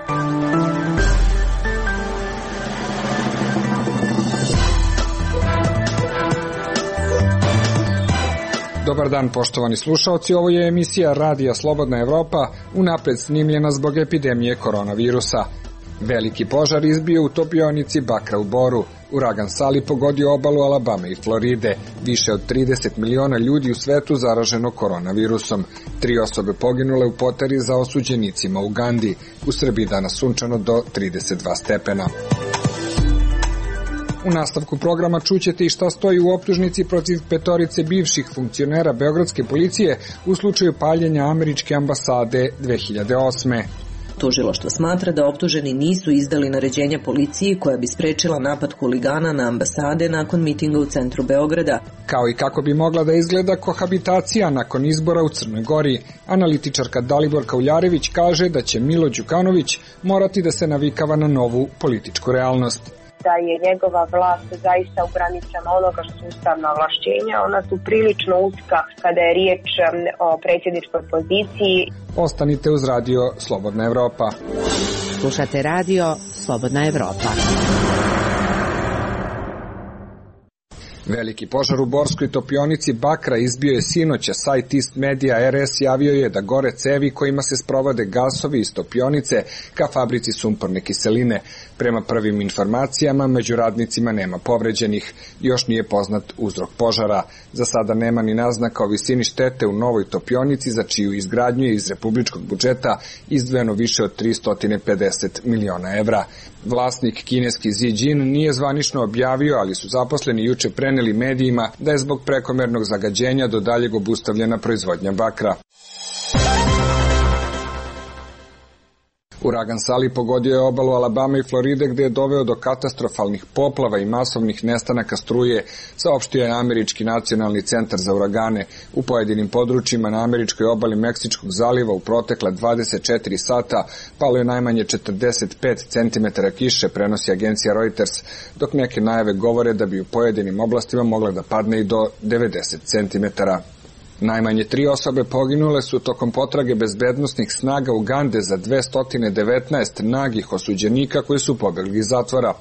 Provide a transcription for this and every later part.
Dobar dan, poštovani slušaoci, ovo je emisija Radija Slobodna Evropa, unapred snimljena zbog epidemije koronavirusa. Veliki požar izbio u topionici Bakra u Boru. Uragan Sali pogodio obalu Alabame i Floride. Više od 30 miliona ljudi u svetu zaraženo koronavirusom. 3 osobe poginule u potrazi za osuđenicima u Ugandi. U Srbiji danas sunčano do 32 stepena. U nastavku programa čućete i šta stoji u optužnici protiv 5 bivših funkcionera beogradske policije u slučaju paljenja američke ambasade 2008. Tužilaštvo smatra da optuženi nisu izdali naređenja policiji koja bi sprečila napad huligana na ambasade nakon mitinga u centru Beograda. Kao i kako bi mogla da izgleda kohabitacija nakon izbora u Crnoj Gori. Analitičarka Daliborka Uljarević kaže da će Milo Đukanović morati da se navikava na novu političku realnost. Da je njegova vlast zaista u granicama onoga što su ustavna ovlašćenja, ona su prilično uska kada je riječ o predsjedničkoj poziciji. Ostanite uz Radio Slobodna Evropa. Slušate Radio Slobodna Evropa. Veliki požar u borskoj topionici Bakra izbio je sinoć, a sajt East Media RS javio je da gore cevi kojima se sprovode gasovi iz topionice ka fabrici sumporne kiseline. Prema prvim informacijama, među radnicima nema povređenih. Još nije poznat uzrok požara. Za sada nema ni naznaka o visini štete u novoj topionici, za čiju izgradnju je iz republičkog budžeta izdvojeno više od 350 miliona evra. Vlasnik kineski Xi Jin nije zvanično objavio, ali su zaposleni juče preneli medijima da je zbog prekomernog zagađenja do daljeg obustavljena proizvodnja bakra. Uragan Sali pogodio je obalu Alabame i Floride, gde je doveo do katastrofalnih poplava i masovnih nestanaka struje, saopštio je Američki nacionalni centar za uragane. U pojedinim područjima na američkoj obali Meksičkog zaliva u protekla 24 sata palo je najmanje 45 cm kiše, prenosi agencija Reuters, dok neke najave govore da bi u pojedinim oblastima mogla da padne i do 90 cm. Najmanje 3 osobe poginule su tokom potrage bezbednosnih snaga Ugande za 219 nagih osuđenika koji su pobegli iz zatvora.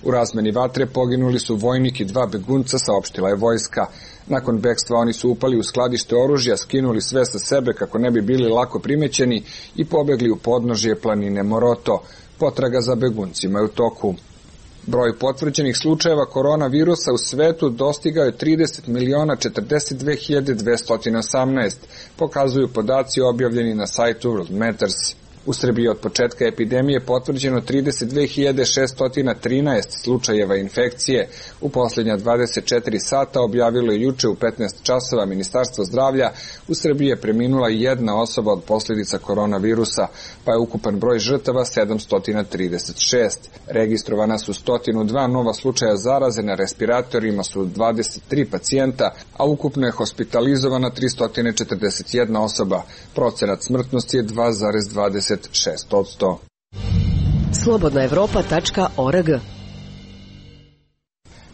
U razmeni vatre poginuli su vojnik i 2 begunca, saopštila je vojska. Nakon bekstva oni su upali u skladište oružja, skinuli sve sa sebe kako ne bi bili lako primećeni i pobegli u podnožje planine Moroto. Potraga za beguncima je u toku. Broj potvrđenih slučajeva koronavirusa u svetu dostigao je 30.042.218, pokazuju podaci objavljeni na sajtu World Matters. U Srbiji od početka epidemije potvrđeno 32.613 slučajeva infekcije. U posljednja 24 sata, objavilo je juče u 15 časova Ministarstvo zdravlja, u Srbiji je preminula 1 osoba od posljedica koronavirusa, pa je ukupan broj žrtava 736. Registrovana su 102 nova slučaja zaraze, na respiratorima su 23 pacijenta, a ukupno je hospitalizovana 341 osoba. Procenat smrtnosti je 2,26%. slobodnaevropa.org.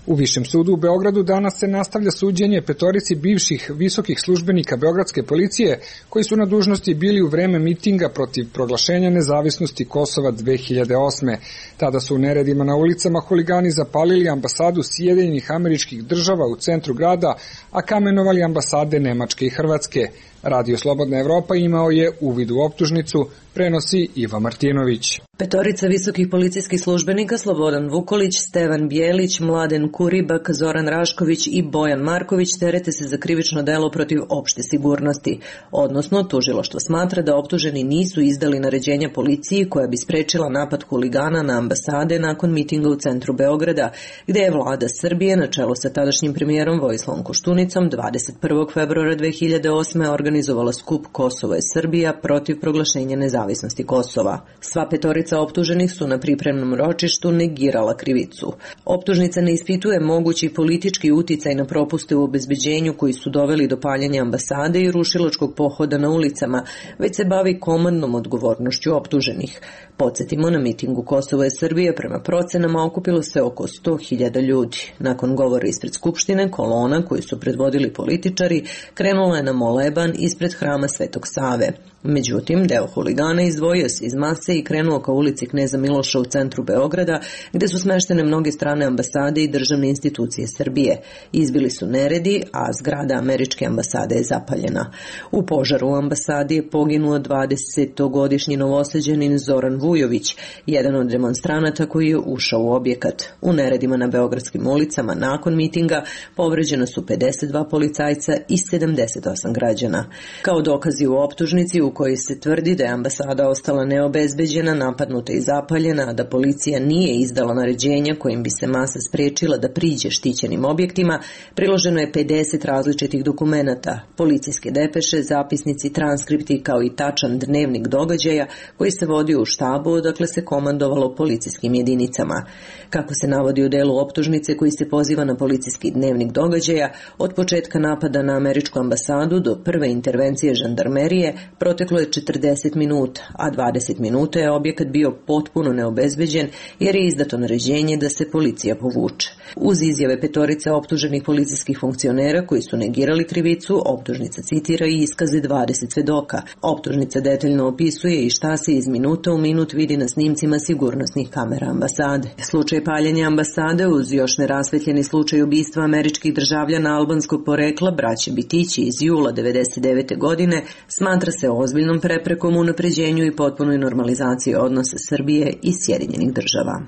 U Višem sudu u Beogradu danas se nastavlja suđenje 5 bivših visokih službenika beogradske policije koji su na dužnosti bili u vreme mitinga protiv proglašenja nezavisnosti Kosova 2008. Tada su u neredima na ulicama huligani zapalili ambasadu Sjedinjenih Američkih Država u centru grada, a kamenovali ambasade Nemačke i Hrvatske. Radio Slobodna Evropa imao je uvid u optužnicu, prenosi Iva Martinović. 5 visokih policijskih službenika, Slobodan Vukolić, Stevan Bjelić, Mladen Kuribak, Zoran Rašković i Bojan Marković terete se za krivično delo protiv opšte sigurnosti. Odnosno, tužilaštvo smatra da optuženi nisu izdali naređenja policiji koja bi sprečila napad huligana na ambasade nakon mitinga u centru Beograda, gde je vlada Srbije na čelu sa tadašnjim premijerom Vojislavom Koštunicom 21. februara 2008. organizovala skup Kosovo je Srbija protiv proglašenja nezavisnosti Kosova. Sva 5 optuženih su na pripremnom ročištu negirala krivicu. Optužnica ne ispituje mogući politički uticaj na propuste u obezbeđenju koji su doveli do paljenja ambasade i rušilačkog pohoda na ulicama, već se bavi komandnom odgovornošću optuženih. Podsjetimo, na mitingu Kosovo je Srbija prema procenama okupilo se oko 100.000 ljudi. Nakon govora ispred Skupštine, kolona koju su predvodili političari krenula je na moleban ispred hrama Svetog Save. Međutim, deo huligana izdvojio se iz mase i krenuo ka ulici Kneza Miloša u centru Beograda, gde su smeštene mnoge strane ambasade i državne institucije Srbije. Izbili su neredi, a zgrada američke ambasade je zapaljena. U požaru u ambasadi je poginuo 20-godišnji novosađanin Zoran Vujović, jedan od demonstranata koji je ušao u objekat. U neredima na beogradskim ulicama nakon mitinga povređena su 52 policajca i 78 građana. Kao dokazi u optužnici u kojoj se tvrdi da je ambasada ostala neobezbeđena, napadnuta i zapaljena, a da policija nije izdala naređenja kojim bi se masa sprečila da priđe štićenim objektima, priloženo je 50 različitih dokumenata, policijske depeše, zapisnici, transkripti kao i tačan dnevnik događaja koji se vodio u štabu odakle se komandovalo policijskim jedinicama. Kako se navodi u delu optužnice koji se poziva na policijski dnevnik događaja, od početka napada na američku ambasadu do prve intervencije žandarmerije proteklo je 40 minuta, a 20 minuta je objekat bio potpuno neobezbeđen jer je izdato naređenje da se policija povuče. Uz izjave petorice optuženih policijskih funkcionera koji su negirali krivicu, optužnica citira i iskaze 20 svedoka. Optužnica detaljno opisuje i šta se iz minuta u minut vidi na snimcima sigurnosnih kamera ambasade. Slučaj paljenja ambasade uz još nerasvetljeni slučaj ubistva američkih državljana albanskog porekla braće Bitići iz jula 1999. godine smatra se ozbiljnom preprekom u unapređenju i potpunoj normalizaciji odnosa Srbije i Sjedinjenih država.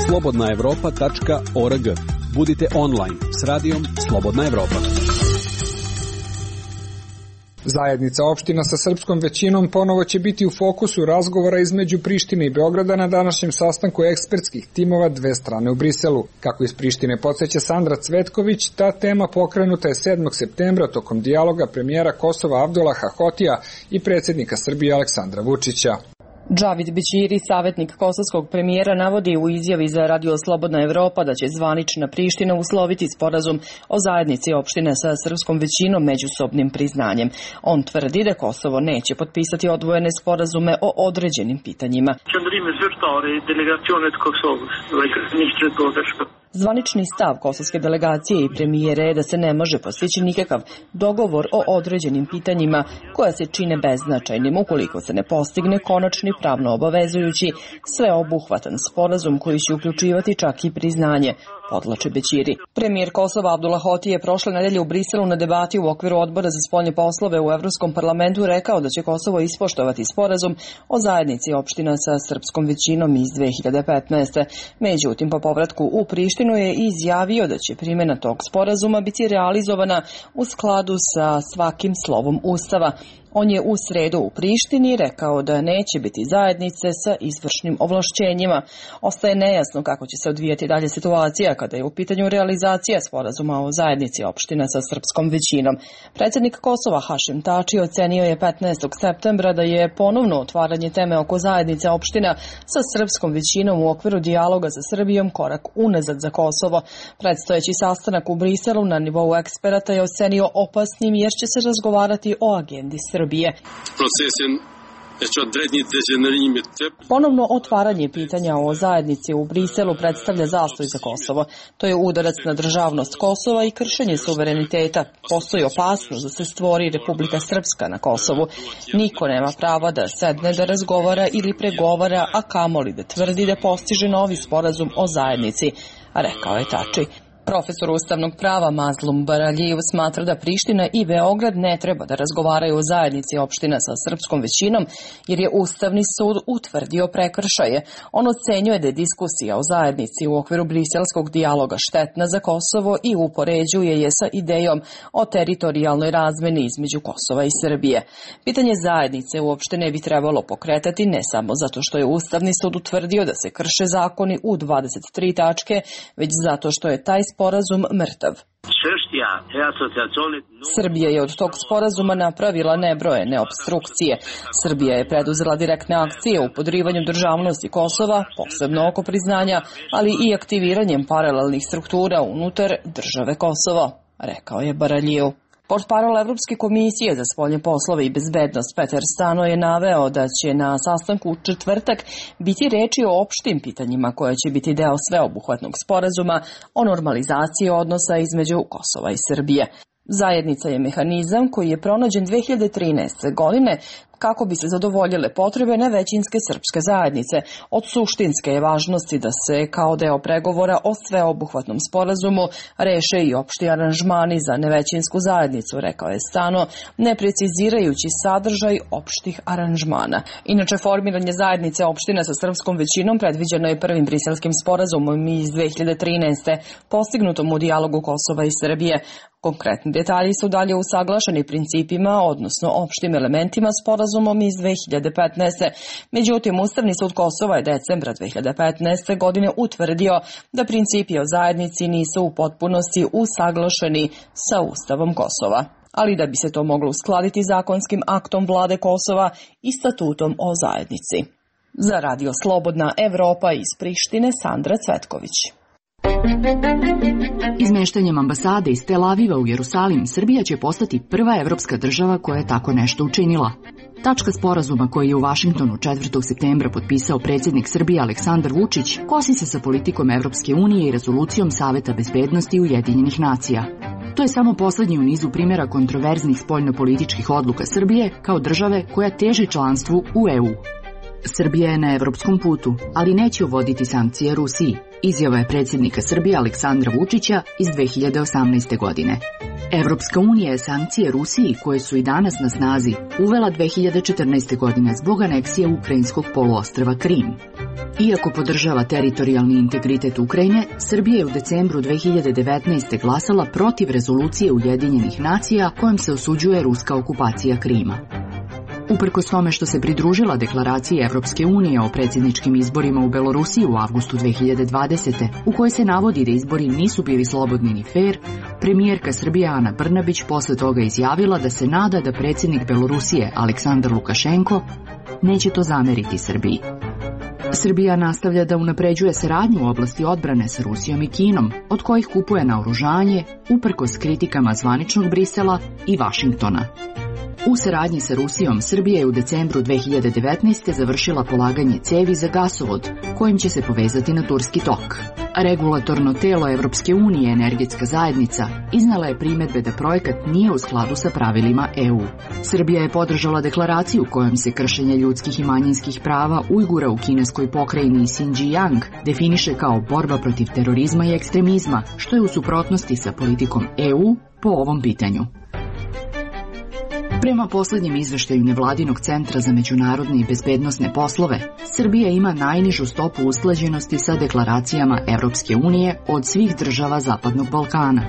slobodnaevropa.org. Budite online s radijom Slobodna Evropa. Zajednica opština sa srpskom većinom ponovo će biti u fokusu razgovora između Prištine i Beograda na današnjem sastanku ekspertskih timova dve strane u Briselu. Kako iz Prištine podsjeća Sandra Cvetković, ta tema pokrenuta je 7. septembra tokom dijaloga premijera Kosova Abdulaha Hotija i predsjednika Srbije Aleksandra Vučića. Džavid Bećiri, savjetnik kosovskog premijera, navodi u izjavi za Radio Slobodna Evropa da će zvanična Priština usloviti sporazum o zajednici opštine sa srpskom većinom međusobnim priznanjem. On tvrdi da Kosovo neće potpisati odvojene sporazume o određenim pitanjima. Zvanični stav kosovske delegacije i premijere je da se ne može postići nikakav dogovor o određenim pitanjima koja se čine beznačajnim ukoliko se ne postigne konačni pravno obavezujući sveobuhvatan sporazum koji će uključivati čak i priznanje, podvlači Bećiri. Premijer Kosova Abdullah Hoti je prošle nedelje u Briselu na debati u okviru Odbora za spoljne poslove u Evropskom parlamentu rekao da će Kosovo ispoštovati sporazum o zajednici opština sa srpskom većinom iz 2015. Međutim, po povratku u Prištinu je izjavio da će primjena tog sporazuma biti realizovana u skladu sa svakim slovom Ustava. On je u sredu u Prištini rekao da neće biti zajednice sa izvršnim ovlašćenjima. Ostaje nejasno kako će se odvijati dalje situacija kada je u pitanju realizacija sporazuma o zajednici opština sa srpskom većinom. Predsjednik Kosova Hašim Tači ocenio je 15. septembra da je ponovno otvaranje teme oko zajednice opština sa srpskom većinom u okviru dijaloga sa Srbijom korak unazad za Kosovo. Predstojeći sastanak u Briselu na nivou eksperata je ocenio opasnim jer će se razgovarati o agendi Srbije. Ponovno otvaranje pitanja o zajednici u Briselu predstavlja zastoj za Kosovo. To je udarac na državnost Kosova i kršenje suvereniteta. Postoji opasnost da se stvori Republika Srpska na Kosovu. Niko nema prava da sedne da razgovara ili pregovara, a kamoli da tvrdi da postiže novi sporazum o zajednici, rekao je Tači. Profesor ustavnog prava Mazlum Baraljiv smatra da Priština i Beograd ne treba da razgovaraju o zajednici opština sa srpskom većinom jer je Ustavni sud utvrdio prekršaje. On ocenjuje da je diskusija o zajednici u okviru briselskog dijaloga štetna za Kosovo i upoređuje je sa idejom o teritorijalnoj razmeni između Kosova i Srbije. Pitanje zajednice uopšte ne bi trebalo pokretati ne samo zato što je Ustavni sud utvrdio da se krše zakoni u 23 tačke, već zato što je taj sporazum mrtav. Srbija je od tog sporazuma napravila nebrojene opstrukcije. Srbija je preduzela direktne akcije u podrivanju državnosti Kosova, posebno oko priznanja, ali i aktiviranjem paralelnih struktura unutar države Kosovo, rekao je Baraljiv. Portparol Evropske komisije za spoljne poslove i bezbednost Peter Stano je naveo da će na sastanku u četvrtak biti reči o opštim pitanjima koje će biti deo sveobuhvatnog sporazuma o normalizaciji odnosa između Kosova i Srbije. Zajednica je mehanizam koji je pronađen 2013. godine kako bi se zadovoljile potrebe nevećinske srpske zajednice. Od suštinske je važnosti da se kao deo pregovora o sveobuhvatnom sporazumu reše i opšti aranžmani za nevećinsku zajednicu, rekao je Stano, ne precizirajući sadržaj opštih aranžmana. Inače, formiranje zajednice opština sa srpskom većinom predviđeno je prvim briselskim sporazumom iz 2013. postignutom u dijalogu Kosova i Srbije. Konkretni detalji su dalje usaglašeni principima, odnosno opštim elementima sporazumom iz 2015. Međutim, Ustavni sud Kosova je decembra 2015. godine utvrdio da principi o zajednici nisu u potpunosti usaglašeni sa Ustavom Kosova. Ali da bi se to moglo uskladiti zakonskim aktom vlade Kosova i statutom o zajednici. Za Radio Slobodna Evropa iz Prištine, Sandra Cvetković. Izmeštanjem ambasade iz Tel Aviva u Jerusalim, Srbija će postati prva evropska država koja je tako nešto učinila. Tačka sporazuma koji je u Vašingtonu 4. septembra potpisao predsjednik Srbije Aleksandar Vučić kosi se sa politikom Evropske unije i rezolucijom Saveta bezbednosti Ujedinjenih nacija. To je samo poslednji u nizu primjera kontroverznih spoljnopolitičkih odluka Srbije kao države koja teži članstvu u EU. Srbija je na evropskom putu, ali neće uvoditi sankcije Rusiji, izjava je predsjednika Srbije Aleksandra Vučića iz 2018. godine. Evropska unija je sankcije Rusiji, koje su i danas na snazi, uvela 2014. godine zbog aneksije ukrajinskog poluostrva Krim. Iako podržava teritorijalni integritet Ukrajine, Srbija je u decembru 2019. glasala protiv rezolucije Ujedinjenih nacija kojom se osuđuje ruska okupacija Krima. Uprkos tome što se pridružila deklaraciji Evropske unije o predsjedničkim izborima u Belorusiji u avgustu 2020. u kojoj se navodi da izbori nisu bili slobodni ni fer, premijerka Srbije Ana Brnabić posle toga izjavila da se nada da predsjednik Belorusije Aleksandar Lukašenko neće to zameriti Srbiji. Srbija nastavlja da unapređuje saradnju u oblasti odbrane sa Rusijom i Kinom, od kojih kupuje naoružanje, uprkos kritikama zvaničnog Brisela i Vašingtona. U saradnji sa Rusijom, Srbija je u decembru 2019. završila polaganje cevi za gasovod, kojim će se povezati na Turski tok. Regulatorno telo Evropske unije, Energetska zajednica, iznala je primedbe da projekat nije u skladu sa pravilima EU. Srbija je podržala deklaraciju kojom se kršenje ljudskih i manjinskih prava Ujgura u kineskoj pokrajini Xinjiang definiše kao borba protiv terorizma i ekstremizma, što je u suprotnosti sa politikom EU po ovom pitanju. Prema poslednjem izveštaju Nevladinog centra za međunarodne i bezbednosne poslove, Srbija ima najnižu stopu usklađenosti sa deklaracijama Evropske unije od svih država Zapadnog Balkana.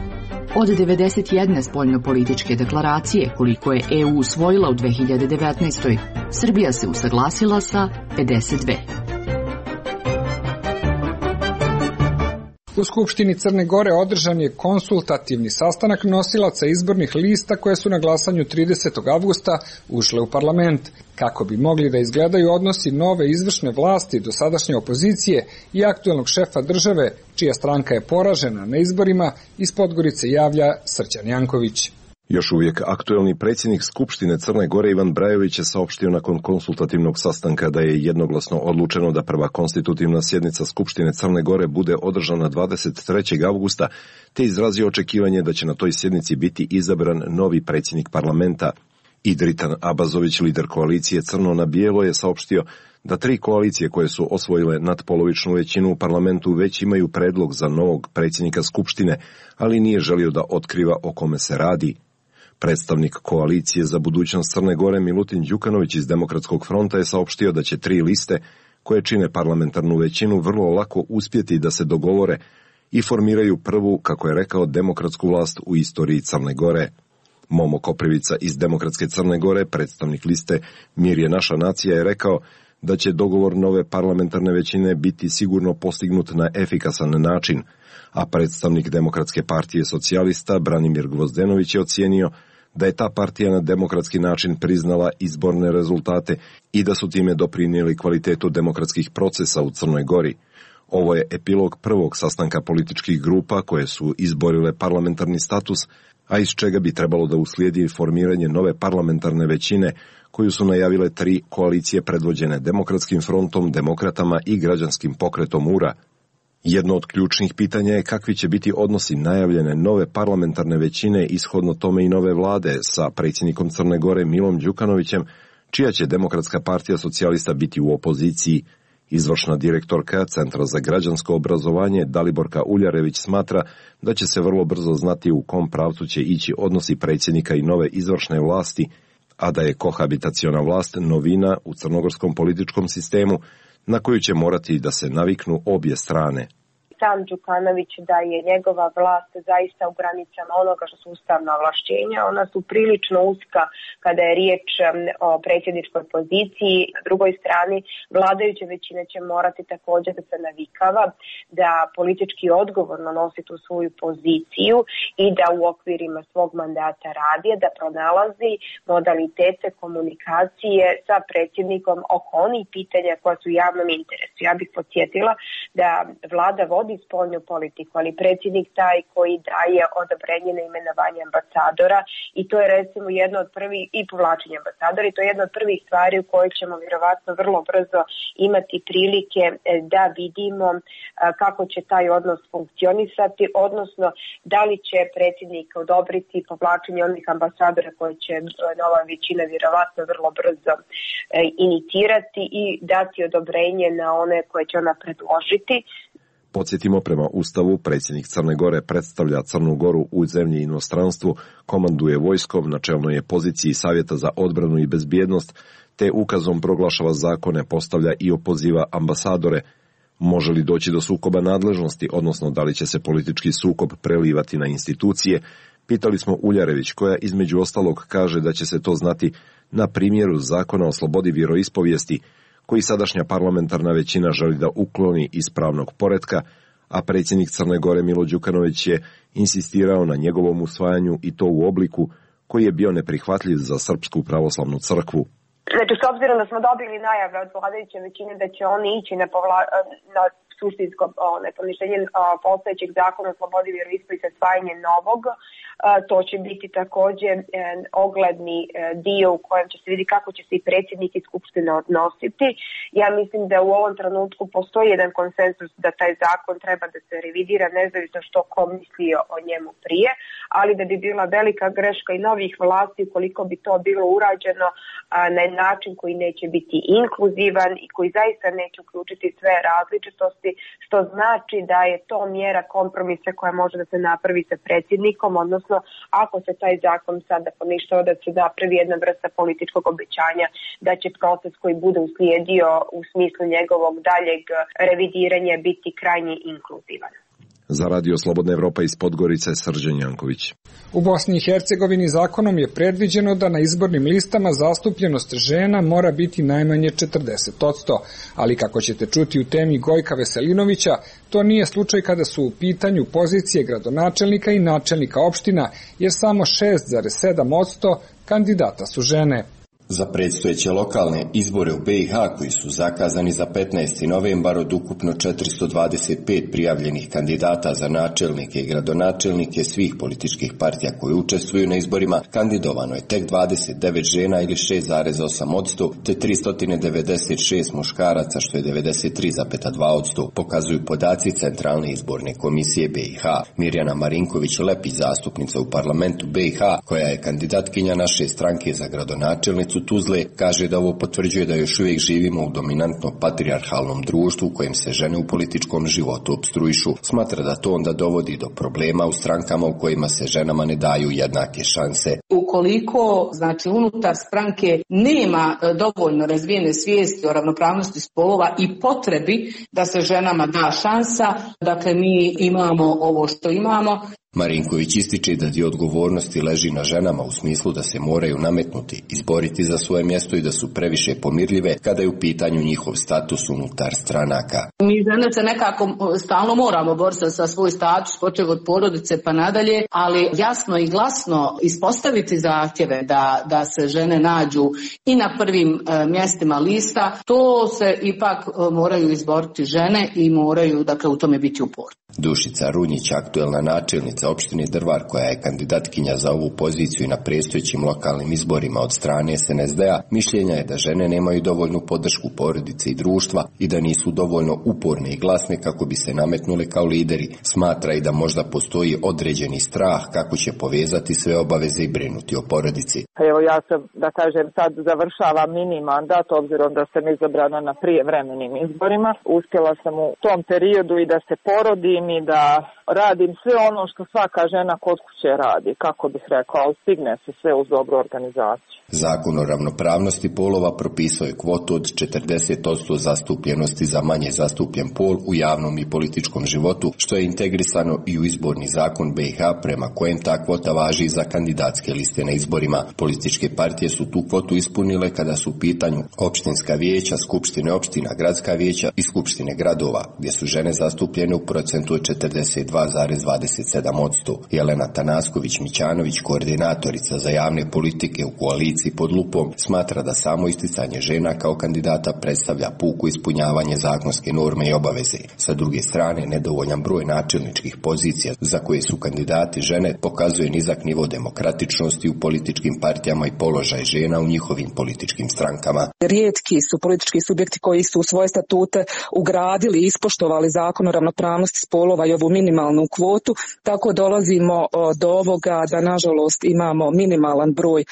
Od 91 spoljnopolitičke deklaracije, koliko je EU usvojila u 2019. Srbija se usaglasila sa 52. U Skupštini Crne Gore održan je konsultativni sastanak nosilaca izbornih lista koje su na glasanju 30. avgusta ušle u parlament, kako bi mogli da izgledaju odnosi nove izvršne vlasti, dosadašnje opozicije i aktuelnog šefa države, čija stranka je poražena na izborima, iz Podgorice javlja Srđan Janković. Još uvijek aktuelni predsjednik Skupštine Crne Gore Ivan Brajović je saopštio nakon konsultativnog sastanka da je jednoglasno odlučeno da prva konstitutivna sjednica Skupštine Crne Gore bude održana 23. avgusta, te izrazio očekivanje da će na toj sjednici biti izabran novi predsjednik parlamenta. Idritan Abazović, lider koalicije Crno na bijelo, je saopštio da 3 koalicije koje su osvojile nadpolovičnu većinu u parlamentu već imaju predlog za novog predsjednika Skupštine, ali nije želio da otkriva o kome se radi. Predstavnik koalicije za budućnost Crne Gore Milutin Đukanović iz Demokratskog fronta je saopštio da će 3 liste koje čine parlamentarnu većinu vrlo lako uspjeti da se dogovore i formiraju prvu, kako je rekao, demokratsku vlast u istoriji Crne Gore. Momo Koprivica iz Demokratske Crne Gore, predstavnik liste Mir je naša nacija, je rekao da će dogovor nove parlamentarne većine biti sigurno postignut na efikasan način, a predstavnik Demokratske partije socijalista Branimir Gvozdenović je ocijenio da je ta partija na demokratski način priznala izborne rezultate i da su time doprinijeli kvalitetu demokratskih procesa u Crnoj Gori. Ovo je epilog prvog sastanka političkih grupa koje su izborile parlamentarni status, a iz čega bi trebalo da uslijedi formiranje nove parlamentarne većine koju su najavile 3 koalicije predvođene Demokratskim frontom, Demokratama i Građanskim pokretom URA. Jedno od ključnih pitanja je kakvi će biti odnosi najavljene nove parlamentarne većine, ishodno tome i nove vlade, sa predsjednikom Crne Gore Milom Đukanovićem, čija će Demokratska partija socijalista biti u opoziciji. Izvršna direktorka Centra za građansko obrazovanje Daliborka Uljarević smatra da će se vrlo brzo znati u kom pravcu će ići odnosi predsjednika i nove izvršne vlasti, a da je kohabitaciona vlast novina u crnogorskom političkom sistemu na koju će morati da se naviknu obje strane. Sam Đukanović da je njegova vlast zaista u granicama onoga što su ustavna ovlašćenja. Ona su prilično uska kada je riječ o predsjedničkoj poziciji. Na drugoj strani, vladajuća većina će morati također da se navikava, da politički odgovorno nosi tu svoju poziciju i da u okvirima svog mandata radi, da pronalazi modalitete komunikacije sa predsjednikom oko onih pitanja koja su u javnom interesu. Ja bih podsjetila da vlada vodi spoljnu politiku, ali predsjednik taj koji daje odobrenje na imenovanje ambasadora i to je recimo jedno od prvih i povlačenje ambasadora i to je jedna od prvih stvari u kojoj ćemo vjerovatno vrlo brzo imati prilike da vidimo kako će taj odnos funkcionisati, odnosno da li će predsjednik odobriti povlačenje onih ambasadora koje će nova većina vjerovatno vrlo brzo inicirati i dati odobrenje na one koje će ona predložiti. Podsjetimo, prema Ustavu, predsjednik Crne Gore predstavlja Crnu Goru u zemlji i inostranstvu, komanduje vojskom, na čelnoj je poziciji Savjeta za odbranu i bezbjednost, te ukazom proglašava zakone, postavlja i opoziva ambasadore. Može li doći do sukoba nadležnosti, odnosno da li će se politički sukob prelivati na institucije, pitali smo Uljarević, koja između ostalog kaže da će se to znati na primjeru zakona o slobodi vjeroispovijesti, koji sadašnja parlamentarna većina želi da ukloni iz pravnog poretka, a predsjednik Crne Gore Milo Đukanović je insistirao na njegovom usvajanju i to u obliku koji je bio neprihvatljiv za Srpsku pravoslavnu crkvu. Znači, s obzirom da smo dobili najave od vladajuće većine da će oni ići na suštinsko poništenje postojećeg zakona o slobodi vjeroispovijesti i usvajanje novog, to će biti također ogledni dio u kojem će se vidjeti kako će se i predsjednik i skupština odnositi. Ja mislim da u ovom trenutku postoji jedan konsenzus da taj zakon treba da se revidira, nezavisno što ko mislio o njemu prije, ali da bi bila velika greška i novih vlasti ukoliko bi to bilo urađeno na način koji neće biti inkluzivan i koji zaista neće uključiti sve različitosti, što znači da je to mjera kompromisa koja može da se napravi sa predsjednikom, odnosno ako se taj zakon sada poništava, da se napravi jedna vrsta političkog obećanja da će proces koji bude uslijedio u smislu njegovog daljeg revidiranja biti krajnje inkluzivan. Za Radio Slobodna Evropa iz Podgorice, Srđan Janković. U Bosni i Hercegovini zakonom je predviđeno da na izbornim listama zastupljenost žena mora biti najmanje 40%, ali kako ćete čuti u temi Gojka Veselinovića, to nije slučaj kada su u pitanju pozicije gradonačelnika i načelnika opština, jer samo 6,7% kandidata su žene. Za predstojeće lokalne izbore u BiH koji su zakazani za 15. novembar od ukupno 425 prijavljenih kandidata za načelnike i gradonačelnike svih političkih partija koji učestvuju na izborima, kandidovano je tek 29 žena ili 6,8%, te 396 muškaraca što je 93,2%, pokazuju podaci Centralne izborne komisije BiH. Mirjana Marinković-Lepi, zastupnica u parlamentu BiH, koja je kandidatkinja naše stranke za gradonačelnicu Tuzle, kaže da ovo potvrđuje da još uvijek živimo u dominantno patrijarhalnom društvu u kojem se žene u političkom životu opstruišu. Smatra da to onda dovodi do problema u strankama u kojima se ženama ne daju jednake šanse. Ukoliko, znači, unutar stranke nema dovoljno razvijene svijesti o ravnopravnosti spolova i potrebi da se ženama da šansa, dakle mi imamo ovo što imamo. Marinković ističe da dio odgovornosti leži na ženama u smislu da se moraju nametnuti, izboriti za svoje mjesto i da su previše pomirljive kada je u pitanju njihov status unutar stranaka. Mi žene se nekako stalno moramo boriti za svoj status, počev od porodice pa nadalje, ali jasno i glasno ispostaviti zahtjeve da se žene nađu i na prvim mjestima lista, to se ipak moraju izboriti žene i moraju, dakle, u tome biti uporni. Dušica Runjić, aktuelna načelnica opštine Drvar, koja je kandidatkinja za ovu poziciju na predstojećim lokalnim izborima od strane SNSD-a, mišljenja je da žene nemaju dovoljnu podršku porodice i društva i da nisu dovoljno uporne i glasne kako bi se nametnule kao lideri. Smatra i da možda postoji određeni strah kako će povezati sve obaveze i brinuti o porodici. Evo ja sam, da kažem, sad završavam mini mandat, obzirom da sam izabrana na prijevremenim izborima. Uspjela sam u tom periodu i da se porodim i da radim sve ono što svaka žena kod kuće radi, kako bih rekao, ali stigne se sve uz dobru organizaciju. Zakon o ravnopravnosti polova propisao je kvotu od 40% zastupljenosti za manje zastupljen pol u javnom i političkom životu, što je integrisano i u izborni zakon BiH, prema kojem ta kvota važi za kandidatske liste na izborima. Političke partije su tu kvotu ispunile kada su u pitanju opštinska vijeća, skupštine opština, gradska vijeća i skupštine gradova, gdje su žene zastupljene u procentu od 42,27%. Jelena Tanasković-Mićanović, koordinatorica za javne politike u koaliciji Pod lupom, smatra da samo isticanje žena kao kandidata predstavlja puko ispunjavanje zakonske norme i obaveze. Sa druge strane, nedovoljan broj načelničkih pozicija za koje su kandidati žene pokazuje nizak nivo demokratičnosti u političkim partijama i položaj žena u njihovim političkim strankama. Rijetki su politički subjekti koji su u svoje statute ugradili i ispoštovali zakon o ravnopravnosti spolova i ovu minimalnu kvotu, tako dolazimo do ovoga da nažalost imamo minimalan broj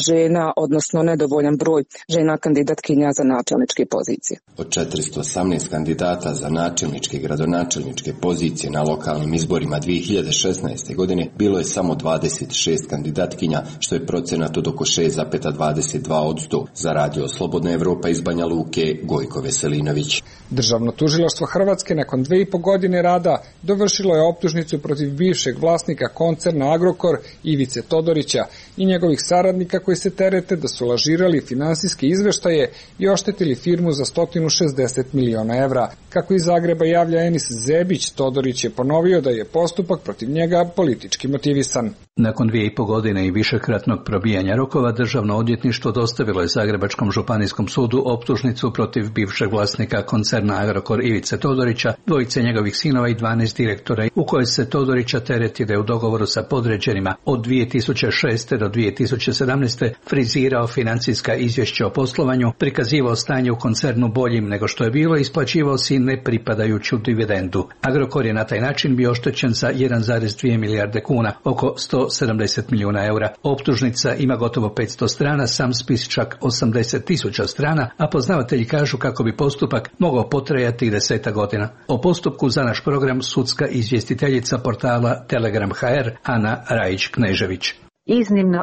žena, odnosno nedovoljan broj žena kandidatkinja za načelničke pozicije. Od 418 kandidata za načelničke i gradonačelničke pozicije na lokalnim izborima 2016. godine bilo je samo 26 kandidatkinja, što je procenat od oko 6,22%. Za Radio Slobodna Evropa iz Banja Luke, Gojko Veselinović. Državno tužilaštvo Hrvatske nakon 2,5 godine rada dovršilo je optužnicu protiv bivšeg vlasnika koncerna Agrokor Ivice Todorića i njegovih saradnika koji se terete da su lažirali finansijske izveštaje i oštetili firmu za 160 miliona evra. Kako iz Zagreba javlja Enis Zebić, Todorić je ponovio da je postupak protiv njega politički motivisan. Nakon 2,5 godine i višekratnog probijanja rokova, Državno odvjetništvo dostavilo je Zagrebačkom županijskom sudu optužnicu protiv bivšeg vlasnika koncerna Agrokor Ivice Todorića, dvojice njegovih sinova i 12 direktora, u kojoj se Todorića tereti da je u dogovoru sa podređenima od 2006. do 2017. frizirao financijska izvješća o poslovanju, prikazivao stanje u koncernu boljim nego što je bilo i isplaćivao si nepripadajuću dividendu. Agrokor je na taj način bio oštećen za 1,2 milijarde kuna, oko 170 milijuna eura. Optužnica ima gotovo 500 strana, sam spis čak 80.000 strana, a poznavatelji kažu kako bi postupak mogao potrajati i 10 godina. O postupku za naš program sudska izvjestiteljica portala Telegram.hr Ana Rajić-Knežević.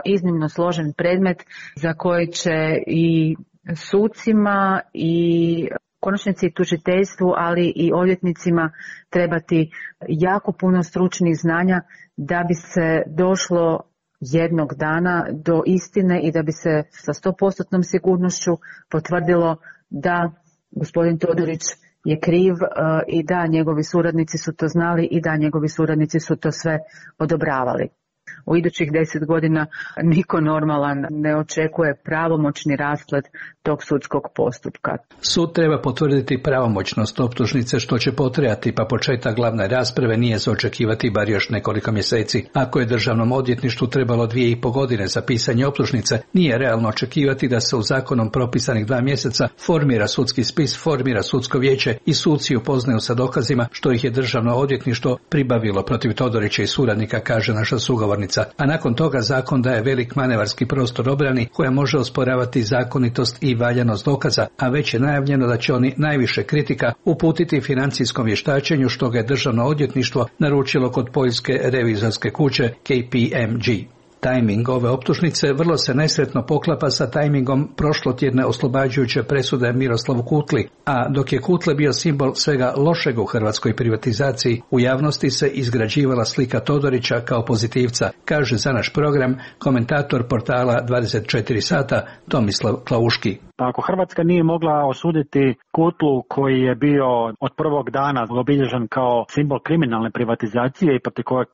Iznimno složen predmet za koji će i sucima i konačnici i tužiteljstvu, ali i odvjetnicima trebati jako puno stručnih znanja da bi se došlo jednog dana do istine i da bi se sa 100% sigurnošću potvrdilo da gospodin Todorić je kriv i da njegovi suradnici su to znali i da njegovi suradnici su to sve odobravali. U idućih 10 godina niko normalan ne očekuje pravomoćni rasplet tog sudskog postupka. Sud treba potvrditi pravomoćnost optužnice, što će potrajati, pa početak glavne rasprave nije za očekivati bar još nekoliko mjeseci. Ako je Državnom odvjetništvu trebalo 2,5 godine za pisanje optužnice, nije realno očekivati da se u zakonom propisanih 2 mjeseca formira sudski spis, formira sudsko vijeće i suci upoznaju sa dokazima, što ih je Državno odvjetništvo pribavilo protiv Todorića i suradnika, kaže naša sugovornica. A nakon toga zakon daje velik manevarski prostor obrani koja može osporavati zakonitost i valjanost dokaza, a već je najavljeno da će oni najviše kritika uputiti financijskom vještačenju, što ga je Državno odvjetništvo naručilo kod poljske revizorske kuće KPMG. Tajming ove optužnice vrlo se nesretno poklapa sa tajmingom prošlotjedne oslobađajuće presude Miroslavu Kutli, a dok je Kutle bio simbol svega lošeg u hrvatskoj privatizaciji, u javnosti se izgrađivala slika Todorića kao pozitivca, kaže za naš program komentator portala 24 sata Tomislav Klauški. Pa ako Hrvatska nije mogla osuditi Kutlu koji je bio od prvog dana obilježen kao simbol kriminalne privatizacije i protiv kojeg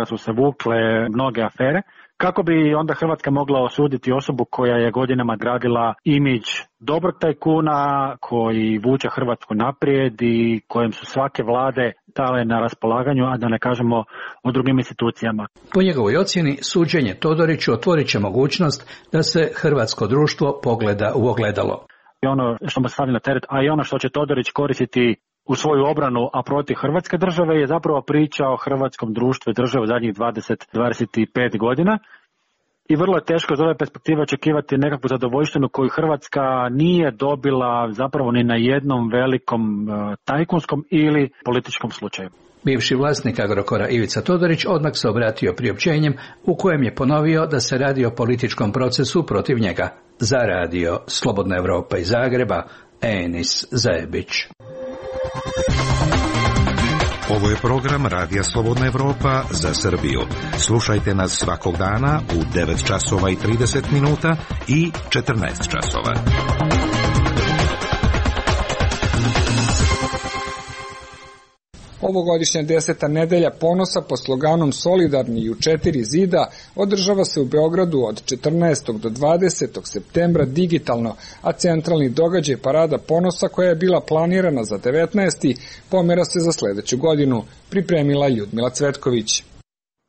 su se vukle mnoge afere, kako bi onda Hrvatska mogla osuditi osobu koja je godinama gradila imidž dobrog tajkuna koji vuče Hrvatsku naprijed i kojem su svake vlade dale na raspolaganju, a da ne kažemo o drugim institucijama. Po njegovoj ocjeni, suđenje Todoriću otvorit će mogućnost da se hrvatsko društvo pogleda u ogledalo. I ono što mu stavlja na teret, a i ono što će Todorić koristiti u svoju obranu, a protiv Hrvatske države, je zapravo priča o hrvatskom društvu i državi zadnjih 20-25 godina. I vrlo je teško iz ove perspektive očekivati nekakvu zadovoljštinu koju Hrvatska nije dobila zapravo ni na jednom velikom tajkunskom ili političkom slučaju. Bivši vlasnik Agrokora Ivica Todorić odmah se obratio priopćenjem u kojem je ponovio da se radi o političkom procesu protiv njega. Za radio Slobodna Evropa iz Zagreba, Enis Zajebić. Ovo je program Radija Slobodna Evropa za Srbiju. Slušajte nas svakog dana u 9 časova i 30 minuta i 14 časova. Ovogodišnja 10. nedelja ponosa pod sloganom Solidarni i u 4 zida održava se u Beogradu od 14. do 20. septembra digitalno, a centralni događaj Parada ponosa koja je bila planirana za 19. pomera se za sledeću godinu, pripremila Ljudmila Cvetković.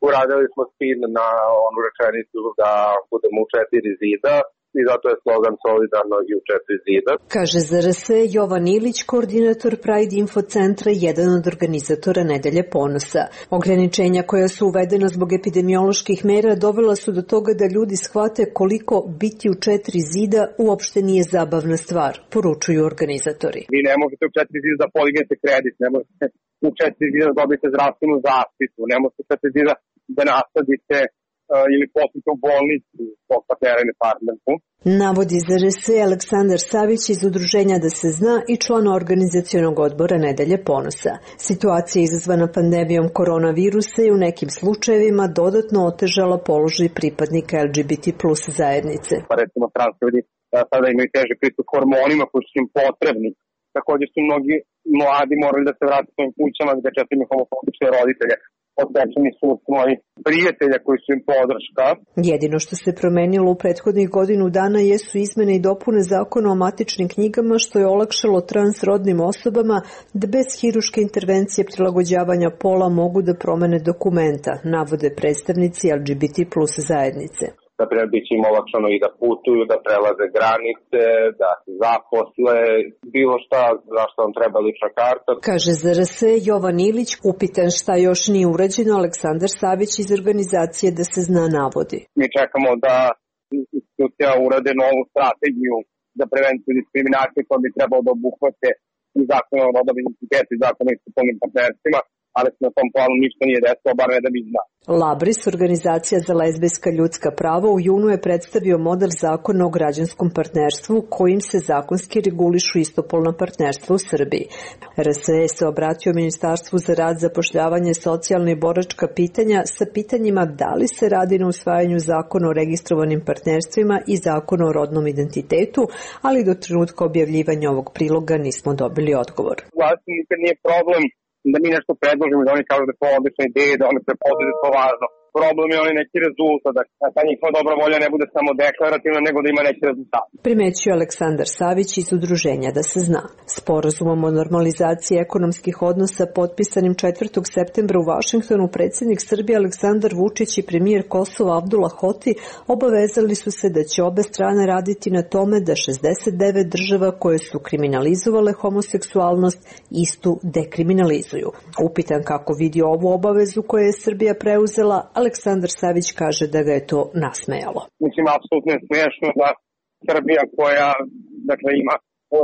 Uradili smo spin na onu rečenicu da budemo u 4 zida. I zato je slogan Solidarno i u 4 zida. Kaže za RS Jovan Ilić, koordinator Pride Info centra, jedan od organizatora Nedelje ponosa. Ograničenja koja su uvedena zbog epidemioloških mera dovela su do toga da ljudi shvate koliko biti u 4 zida uopšte nije zabavna stvar, poručuju organizatori. Vi ne možete u 4 zida da podignete kredit, ne možete u 4 zida da dobijete zdravstvenu zaštitu, ne možete u 4 zida da nasadite ili poslite u bolnicu svog partnera ili partnerku. Navodi za RS Aleksandar Savić iz Udruženja Da se zna i član organizacionog odbora Nedelje ponosa. Situacija izazvana pandemijom koronavirusa je u nekim slučajevima dodatno otežala položaj pripadnika LGBT plus zajednice. Pa recimo trans ljudi sada imaju teži pristup hormonima koji su im potrebni. Također su mnogi mladi morali da se vrate svojim kućama gde često imaju homofobične roditelje. Odvečeni su moji prijatelja koji su im podrška. Jedino što se promenilo u prethodnih godinu dana jesu izmene i dopune zakona o matičnim knjigama, što je olakšalo transrodnim osobama da bez hiruške intervencije prilagođavanja pola mogu da promene dokumenta, navode predstavnici LGBT plus zajednice. Naprimjer, bit će im olakšano i da putuju, da prelaze granice, da se zaposle, bilo šta za što vam treba lična karta. Kaže za RS Jovan Ilić, upitan šta još nije urađeno, Aleksandar Savić iz organizacije Da se zna navodi. Mi čekamo da institucija urade novu strategiju za prevenciju diskriminacije koja bi trebalo da obuhvate i zakon o rodnom identitetu i zakon o istopolnim partnerstvima, ali se na tom planu ništa nije desilo, bar ne da mi zna. Labris, organizacija za lezbijska ljudska prava, u junu je predstavio model zakona o građanskom partnerstvu kojim se zakonski regulišu istopolna partnerstva u Srbiji. RSE se obratio Ministarstvu za rad, zapošljavanje, socijalne i boračka pitanja sa pitanjima da li se radi na usvajanju zakona o registrovanim partnerstvima i zakona o rodnom identitetu, ali do trenutka objavljivanja ovog priloga nismo dobili odgovor. Vlasti nikad nije problem da mi nešto predložimo, da oni kažu da je to odlična ideja, da oni prepoznaju da je to važno. Problem je onaj neki rezultat, da ta njihova dobra volja ne bude samo deklarativna, nego da ima neki rezultat. Primećuje Aleksandar Savić iz Udruženja Da se zna. Sporazumom o normalizaciji ekonomskih odnosa potpisanim 4. septembra u Vašingtonu predsjednik Srbije Aleksandar Vučić i premijer Kosova Abdullah Hoti obavezali su se da će obe strane raditi na tome da 69 država koje su kriminalizovale homoseksualnost istu dekriminalizuju. Upitan kako vidi ovu obavezu koju je Srbija preuzela, Aleksandar Savić kaže da ga je to nasmejalo. Mislim, apsolutno je smiješno da Srbija koja ima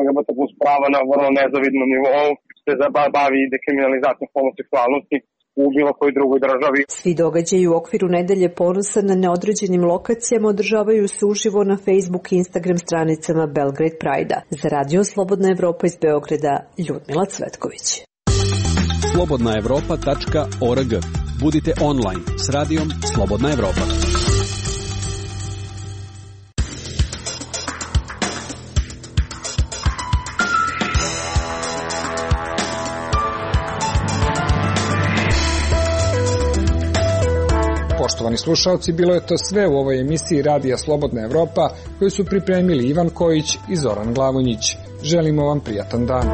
LGBT plus prava na vrlo nezavidnom nivou se bavi dekriminalizacijom homoseksualnosti u bilo kojoj drugoj državi. Svi događaji u okviru Nedelje ponosa na neodređenim lokacijama održavaju se uživo na Facebook i Instagram stranicama Belgrade Pride-a. Za Radio Slobodna Evropa iz Beograda, Ljudmila Cvetković. slobodnaevropa.org. Budite online s radijom Slobodna Evropa. Poštovani slušalci, bilo je to sve u ovoj emisiji Radija Slobodna Evropa koju su pripremili Ivan Kojić i Zoran Glavonjić. Želimo vam prijatan dan.